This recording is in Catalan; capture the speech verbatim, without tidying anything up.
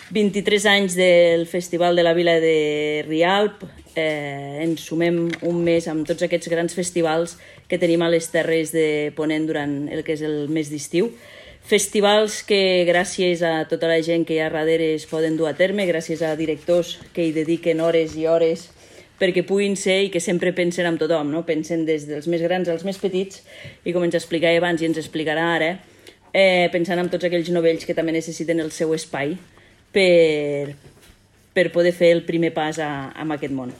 vint-i-tres anys del Festival de la Vila de Rialp, eh, ens sumem un mes amb tots aquests grans festivals que tenim a les Terres de Ponent durant el que és el mes d'estiu. Festivals que gràcies a tota la gent que hi ha darrere es poden dur a terme, gràcies a directors que hi dediquen hores i hores perquè puguin ser i que sempre pensen en tothom, no? Pensen des dels més grans als més petits i com ens explicava abans i ens explicarà ara, eh, pensant en tots aquells novells que també necessiten el seu espai per, per poder fer el primer pas a, a aquest món.